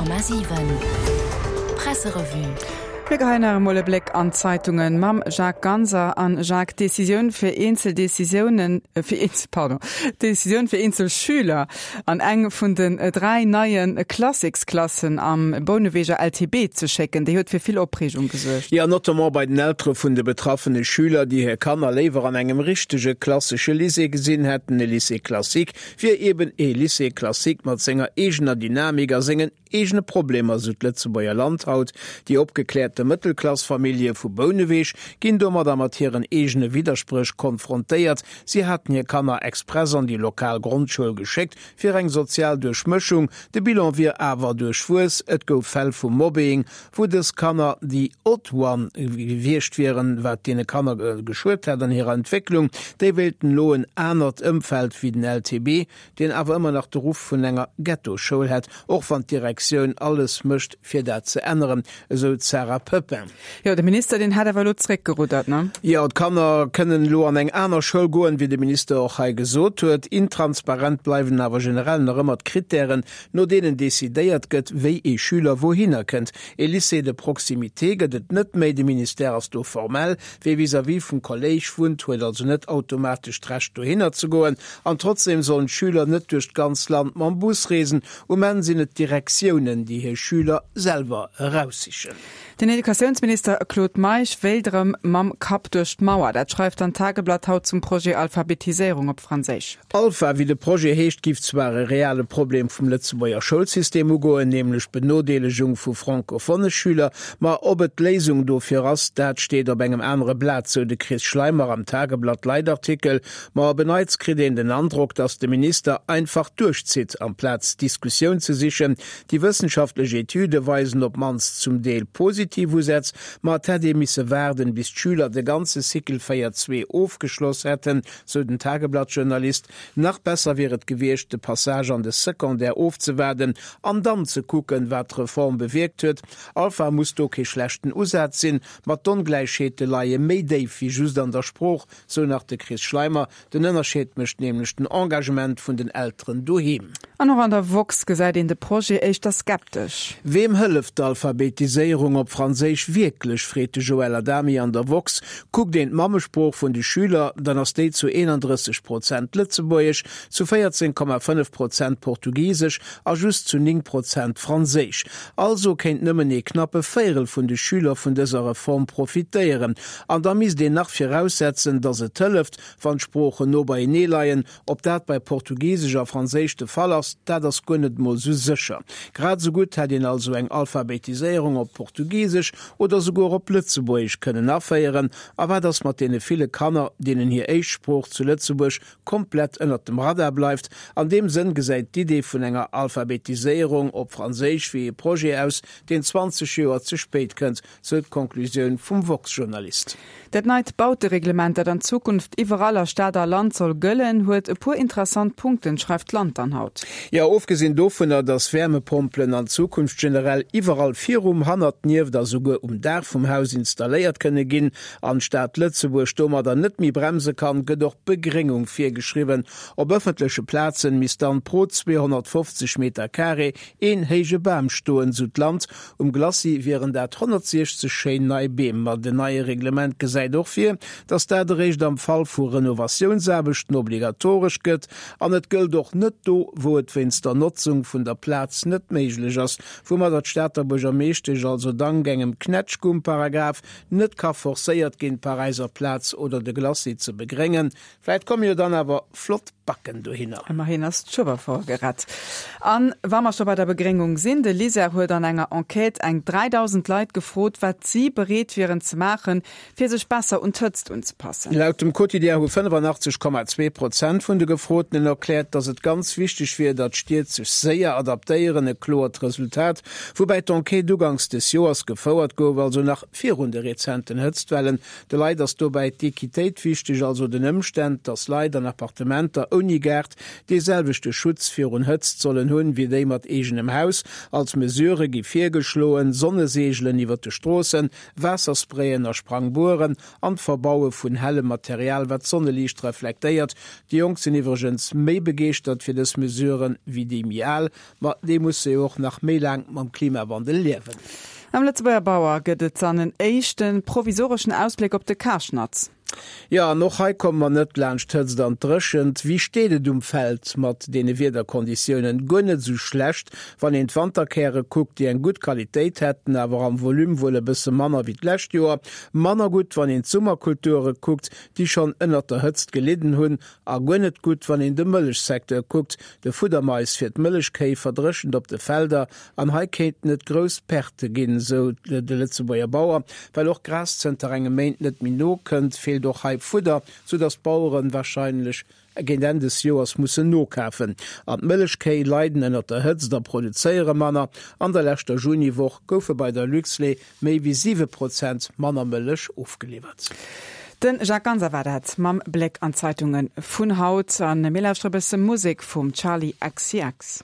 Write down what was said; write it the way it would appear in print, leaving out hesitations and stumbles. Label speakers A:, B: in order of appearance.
A: 100,7 Presserevue.
B: Mir geheien nach emol e Bléck an d'Zeitungen mam Jacques Ganser. An Jacques, d'Decisioun fir eenzel Decisiounen, fir eenzel, pardon, d'Decisioun fir eenzel Schüler an eng vun den 3 neie Classicsklassen am Bouneweger LTB ze schécken, déi huet fir vill Opreegung gesuergt.
C: Jo, notamment bei den Eltere vun de betraffene Schüler, déi hir Kanner léiwer an engem richtege klassesche Lycée gesinn hätten, e Lycée classique wier eben ee Lycée classique mat senger eegener Dynamik a sengen eegene Problemer, sou d'Lëtzebuerger Land haut. Déi opgekläerte Mëttelklassfamillje vu Bouneweg ginn domadder mat hiren eegene Widderspréch konfrontéiert. Si haten hir Kanner express an déi lokal Grondschoul geschéckt, fir eng sozial Duerchmëschung. De Bilan wier awer duerchwuess, et gouf Fäll vu Mobbing, wou dës Kanner déi odd one gewiescht wieren, wat deene Kanner geschuet hätt an hirer Entwécklung. Déi wéilten elo en anert Ëmfeld wéi den LTB, deen awer ëmmer nach de Ruff vun enger Ghettoschoul hätt, och wann d'Direktioun alles mécht fir dat ze änneren, esou d'Sarah Pepin.
B: Jo, de Minister, deen hätt awer elo zeréckgeruddert, ne?
C: Jo, d'Kanner kënnen elo an eng aner Schoul goen, wéi de Minister och hei gesot huet. Intransparent bleiwen awer generell nach ëmmer d'Krittären, no deenen decidéiert gëtt, wéi ee Schüler wouhinner kënnt. Ee Lycée de proximité gëtt et net méi, de Ministère ass do formell. Wee vis-à-vis vum Kolléisch wunnt, huet also net automatesch d'Recht dohinner ze goen. An trotzdeem sollen d'Schüler net duerch d'ganz Land mam Bus reesen. Um Enn sinn et d'Direktiounen, déi hir Schüler selwer eraussichen.
B: Den Educatiounsminister Claude Meisch wéilt erëm mam Kapp duerch d'Mauer. Dat schreift dann d'Tageblatt haut zum Projet Alphabetiséierung op Franséisch.
C: Alpha, wéi de Projet heescht, giff zwar e reale Problem vum Lëtzebuerger Schoulsystem ugoen, nämlech d'Benodeelegung vu francophone Schüler, ma ob et d'Léisung dofir ass, dat steet op engem anere Blat, sou de Chris Schleimer am Tageblatt-Leitartikel. Ma op en Neits kritt een den Androck, datt de Minister einfach duerchzitt, amplaz d'Diskussioun ze sichen. Déi wëssenschaftlech Etüde weisen op d'mannst zum Deel positiv Usätz, ma et hätt ee misse waarden, bis d'Schüler de ganze Cycle 4 zwee ofgeschloss hätten, sou den Tageblatt-Journalist. Nach besser wier et gewiescht, de Passage an de Secondaire ofzewaarden an dann ze kucken, wat d'Reform bewierkt huet. Alpha muss do kee schlechten Usaz sinn, ma d'Ongläichheete leie méi déif wéi just an der Sprooch, sou nach de Chris Schleimer. Den Ënnerscheed mécht nämlech den Engagement vun den Elteren doheem.
B: An och an der woxx gesäit een de Projet éischter skeptesch.
C: Weem hëlleft d'Alphabetiséierung op Franséisch wierklech, freet de Joël Adami an der woxx. Kuckt een d'Mammesprooch vun de Schüler, dann ass déi zu 31 Prozent Lëtzebuergesch, zu 14,5 Prozent Portugisesch a just zu 9 Prozent Franséisch. Also kéint nëmmen ee knappe Véierel vun de Schüler vun dëser Reform profitéieren. An da misst een nach viraussetzen, datt et hëlleft, wann d'Sproochen no beienee leien. Ob dat bei Portugisesch a Franséisch de Fall ass, dat ass guer net emol esou sécher. Grad esou gutt hätt een also eng Alphabetiséierung op Portugisesch oder souguer op Lëtzebuergesch kënnen aféieren. A wat ass mat deene ville Kanner, deenen hir éischt Sprooch zu Lëtzebuerg komplett ënnert dem Radar bleift? An deem Sënn gesäit d'Idee vun enger Alphabetiséierung op Franséisch wéi ee Projet aus, deen 20 Joer ze spéit kënnt, sou d'Conclusioun vum woxx-Journalist.
B: Dat neit Bautereglement, dat an Zukunft iwwerall a Stad a Land soll gëllen, huet e puer interessant Punkten, schreift d'Land dann haut.
C: Jo, ofgesinn dovunner, datt Wäermepompelen an Zukunft generell iwwerall virum, hannert, nieft a souguer um Daach vum Haus installéiert kënne ginn an d'Stad Lëtzebuerg domadder net méi bremse kann, gëtt och Begréngung virgeschriwwen. Op ëffentleche Plazen misst dann pro 250 Meter Carré een héije Bam stoen, sou d'Land. Um Glacis wieren dat 160 schéin nei Beem. Ma den neie Reglement gesäit och vir, datt dat eréischt am Fall vu Renovatiounsaarbechten obligatoresch gëtt. An et gëllt och net do, wou et wéinst der Notzung vun der Plaz net méiglech ass. Woumadder d'Stater Buergermeeschtesch also dank engem Knätschgumm-Paragraph net ka forcéiert ginn, d'Paräiser Plaz oder de Glacis ze begréngen. Vläit komme jo dann awer flott Backen dohinner.
B: Ëmmerhin ass d'Schueberfouer gerett. An wa mer scho bei der Begréngung sinn, de LISER huet an enger Enquête eng 3.000 Leit gefrot, wat si bereet wieren ze maachen, fir sech besser un d'Hëtzt unzepassen.
C: Laut dem Quotidien hu 85,2 Prozent vun de Gefrotenen erkläert, datt et ganz wichteg wier, datt d'Stied sech séier adaptéieren. E kloert Resultat, woubäi d'Enquête uganks des Joers gefouert gouf, also nach virun de rezenten Hëtztwellen. De Leit ass dobäi d'Equitéit wichteg, also den Ëmständ, datt Leit an Appartementer ouni Gaart dee selwechte Schutz virun Hëtzt sollen hunn, wéi déi mat eegenem Haus. Als Mesurë gi virgeschloen, Sonneseegelen iwwer de Stroossen, Waassersprayen a Sprangbueren an d'Verbaue vun hellem Material, wat d'Sonneliicht reflektéiert. Déi Jonk sinn iwwregens méi begeeschtert fir dës Mesuren. Baueren wéi déi méi al. Ma déi musse jo och nach méi laang mam Klimawandel liewen.
B: Am Lëtzebuerger Bauer gëtt et dann en éischte provisoreschen Ausbléck op de Karschnatz.
C: Jo, an och hei komme mer net laanscht d'Hëtzt an d'Dréchent. Wéi steet et um Feld mat deene Wiederkonditiounen? Guer net esou schlecht, wann een d'Wanterkäre kuckt, déi eng gutt Qualitéit hätten, awer am Volume wuel e bësse manner wéi d'lescht Joer. Manner gutt, wann een d'Summerkulture kuckt, déi schonn ënnert der Hëtzt gelidden hunn. A guer net gutt, wann een de Mëllechsecteur kuckt, De Fuddermais fir d'Mëllechkéi verdréchent op de Felder an hei kéinten et grouss Pertë ginn, sou de Lëtzebuerger Bauer. Well och Gras zënter engem Méint net méi nokënnt, feelt och hei Fudder, sou datt d'Bauere warscheinlech géint Enn des Joers mussen nokafen. An d'Mëllechkéi leiden ënnert der Hëtzt a produzéiere manner. An der leschter Juniwoch goufe bei der Luxlait Méi wéi 7 Prozent manner Mëllech ofgeliwwert.
B: De Jacques Ganser war dat mam Bléck an d'Zeitunge vun haut. A mir lauschtere bësse Musek vum Charli XCX.